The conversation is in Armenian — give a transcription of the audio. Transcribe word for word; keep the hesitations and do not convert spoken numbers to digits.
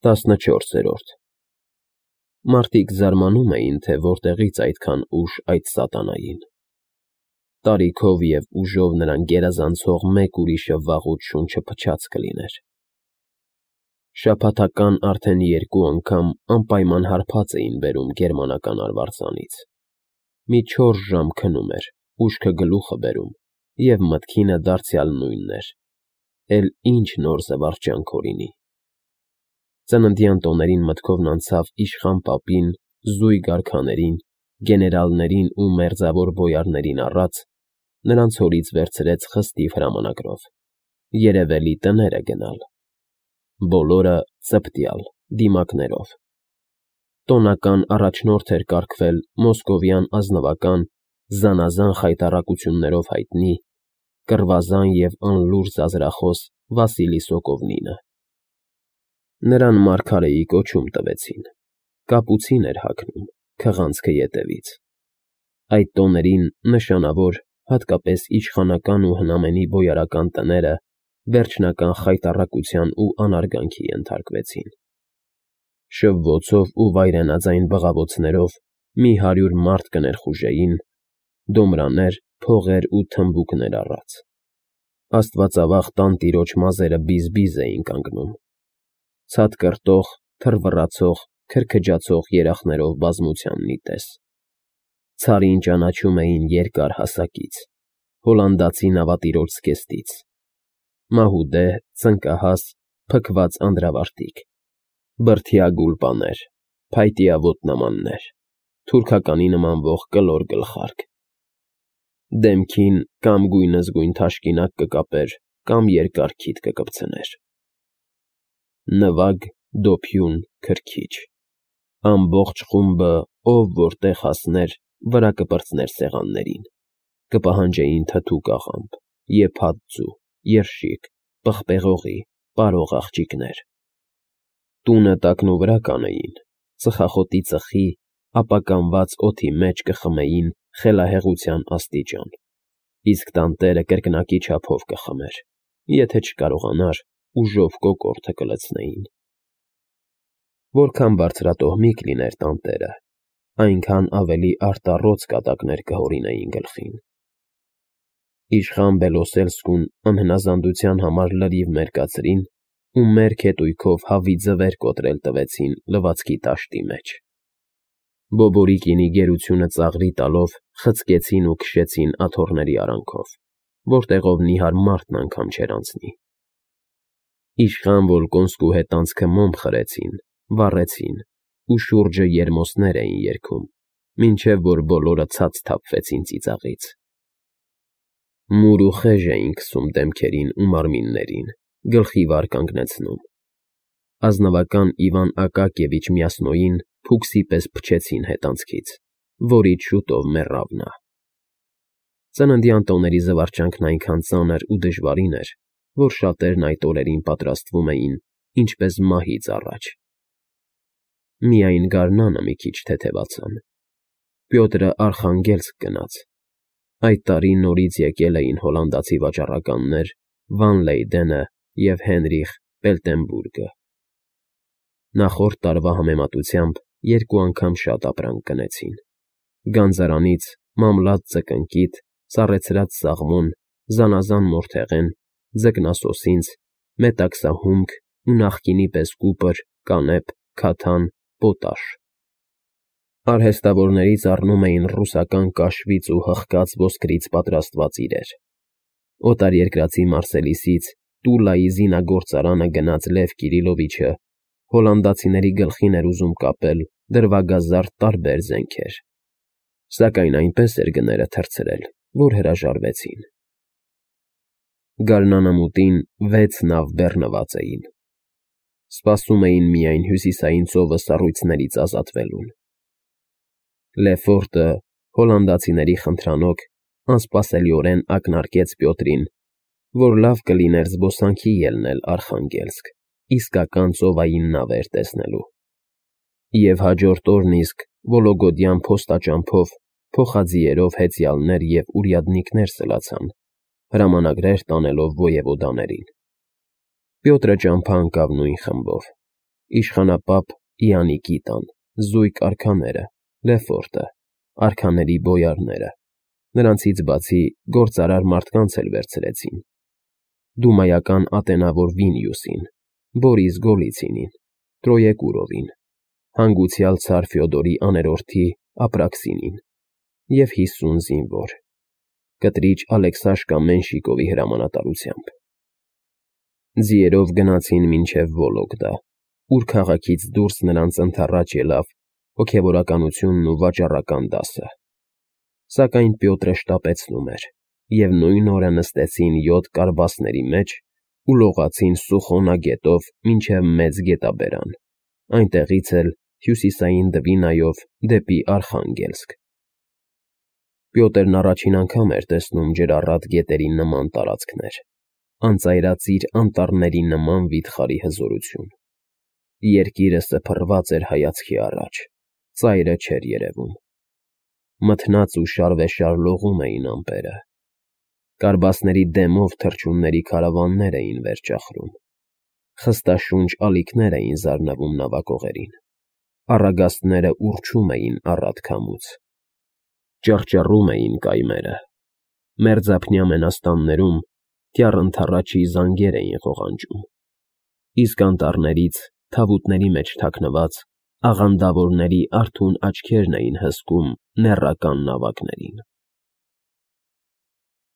տասնչորսերորդ Մարդիկ զարմանում էին, թե որտեղից այդքան ուժ այդ սատանային. տարիքով և ուժով նրան գերազանցող մեկ ուրիշը վաղուց շունչը փչած կլիներ։ Շաբաթական արդեն երկու անգամ անպայման հարբած էին բերում գերմանական արվարձանից։ Մի չորս ժամ քնում էր, ուշքը գլուխը բերում, և մտքինը դարձյալ նույնն էր. էլ ինչ նոր զվարճանք օրինի։ Ծննդյան տոներին մտքովն անցավ իշխան պապին, զույգ արքաներին, գեներալներին ու մերձավոր բոյարներին առած, նրանց հորից վերցրեց խստիվ հրամանագրով. երևելի տները գնալ։ Բոլորը ծպտյալ, դիմակներով։ Տոնական առաջնորդ էր կարգվել մոսկովյան ազնվական, զանազան խայտառակություններով հայտնի, կռվազան և անլուրջ ձանձրախոս Վասիլի Սոկովնինը։ Նրան մարգարեի կոչում տվեցին, կապուցին էր հագնում, քղանցքը ետևից։ Այդ տոներին նշանավոր, հատկապես իշխանական ու հնամենի բոյարական տները վերջնական խայտառակության ու անարգանքի ենթարկվեցին։ Շվվոցով ու վայրենաձայն բղավոցներով մի հարյուր մարդ կներխուժեին, դոմրաներ, փողեր ու թմբուկներ առած։ Աստվածավախ տանտիրոջ մազերը բիզ֊բիզ էին կանգնում։ Ցատկրտող, թռվռացող, քրքջացող երախներով բազմության մի տես։ Ցարին ճանաչում էին երկար հասակից, հոլանդացի նավատիրոջ զգեստից։ Մահուդե, ծնկահաս, փքված անդրավարտիք, բրդյա գուլպաներ, փայտյա ոտնամաններ, թուրքականի նմանվող կլոր գլխարկ։ Դեմքին կամ գույնզգույն թաշկինակ կկապեր, կամ երկար քիթ կկպցներ։ Նվագ, դոփյուն, քրքիջ։ Ամբողջ խումբը, ով որտեղ հասներ, վրա կպրծներ սեղաններին, կպահանջեին թթու կաղամբ, եփած ձու, երշիկ, պղպեղողի, պարող աղջիկներ։ Տունը տակնուվրա կանեին, ծխախոտի ծխի, ապականված օդի մեջ կխմեին խելահեղության աստիճան, իսկ տանտերը կրկնակի չափով կխմեր, եթե չկարողանար, ուժով կոկորդը կլցնեին։ Որքան բարձրատոհմիկ լիներ տանտերը, այնքան ավելի արտառոց կատակներ կհորինեին գլխին։ Իշխան Բելոսելսկուն անհնազանդության համար լրիվ մերկացրին ու մերկ հետույքով հավի ձվեր կոտրել տվեցին լվացքի տաշտի մեջ։ Բոբորիկինի գերությունը ծաղրի տալով խցկեցին ու քշեցին աթոռների արանքով, որտեղով նիհար մարդն անգամ չէր անցնի։ Իշխան Վոլկոնսկու հետ անցքը մոմ խրեցին, վառեցին ու շուրջը երմոսներ էին երգում, մինչև որ բոլորը ցած թափվեցին ծիծաղից։ Մուր ու խեժ էին քսում դեմքերին ու մարմիններին, գլխի վար կանգնեցնում։ Ազնվական Իվան Ակակիևիչ Մյասնոյին փուքսի պես փչեցին հետանցքից, որից շուտով մեռավ նա։ Ծննդյան տոների զվարճանքն այնքան ծանր ու դժվարին էր, որ շատերն այդ օրերին պատրաստվում էին ինչպես մահից առաջ։ Միայն գարնանը մի քիչ թեթևացան։ Պյոտրը Արխանգելսկ գնաց։ Այդ տարի նորից եկել էին հոլանդացի վաճառականներ Վան Լեյդենը և Հենրիխ Պելտենբուրգը։ Նախորդ տարվա համեմատությամբ երկու անգամ շատ ապրանք գնեցին։ Գանձարանից մամլած ձկնկիթ, սառեցրած սաղմոն, զանազան մորթեղեն, ձկնասոսինձ, մետաքսահումք ու նախկինի պես կուպր, կանեփ, քաթան, պոտաշ։ Արհեստավորներից առնում էին ռուսական կաշվից ու հղկած ոսկրից պատրաստված իրեր։ Օտարերկրացի Մարսելիսից Տուլայի զինագործարանը գնաց Լև Կիրիլովիչը հոլանդացիների գլխին էր ուզում կապել դրվագազարդ տարբեր զենքեր, սակայն այնպես էր գները թռցրել, որ հրաժարվեցին։ Գարնանամուտին վեց նավ բեռնված էին։ Սպասում էին միայն հյուսիսային ծովը սառույցներից ազատվելուն։ Լեֆորտը, հոլանդացիների խնդրանոք, անսպասելիորեն ակնարկեց Պյոտրին, որ լավ կլիներ զբոսանքի ելնել Արխանգելսկ, իսկական ծովային նավեր տեսնելու։ Եվ հաջորդ օրն իսկ Վոլոգոդյան փոստաճամփով փոխաձիերով հեծյալներ և ուրյադնիկներ սլացան, հրամանագրեր տանելով ոևոդաներին։ Պյոտրը ճամփա ընկավ նույն խմբով, Իշխանապապ Իանիկի տան, զույգ արքաները, Լեֆորտը, արքաների բոյարները, նրանցից բացի գործարար մարդկանց էլ վերցրեցին. դումայական ատենավոր Վինիուսին, Բորիս Գոլիցինին, Տրոեկուրովին, հանգուցյալ ցար Ֆյոդորի աներորդի Ապրաքսինին և հիսուն զինվոր, կտրիչ Ալեքսաշկա Մենշիկովի հրամանատարությամբ։ Ձիերով գնացին մինչև Վոլոգդա, ուր քաղաքից դուրս նրանց ընդառաջ ելավ հոգևորականությունն ու վաճառական դասը։ Սակայն Պյոտրը շտապեցնում էր, և նույն օրը նստեցին յոթ կարբասների մեջ ու լողացին Սուխոնա գետով մինչև Մեծ գետաբերան, այնտեղից էլ հյուսիսային Դվինայով դեպի Արխանգելսկ։ Պյոտրն առաջին անգամ էր տեսնում ջրառատ գետերի նման տարածքներ, անծայրածիր անտառների նման վիթխարի հզորություն։ Երկիրը սփռված էր հայացքի առաջ, ծայրը չէր երևում։ Մթնած ու շարվեշար լողում էին ամպերը։ Կարբասների դեմով թռչունների քարավաններ էին վեր ճախրում։ Խստաշունչ ալիքներ էին զարնվում նավակողերին։ Առագաստները ուռչում էին առատ քամուց։ Ճռճռում էին կայմերը։ Մերձափնյա մենաստաններում թյառ ընդառաջի զանգեր էին ղողանջում, իսկ անտառներից, թավուտների մեջ թաքնված, աղանդավորների արթուն աչքերն էին հսկում նեռական նավակներին։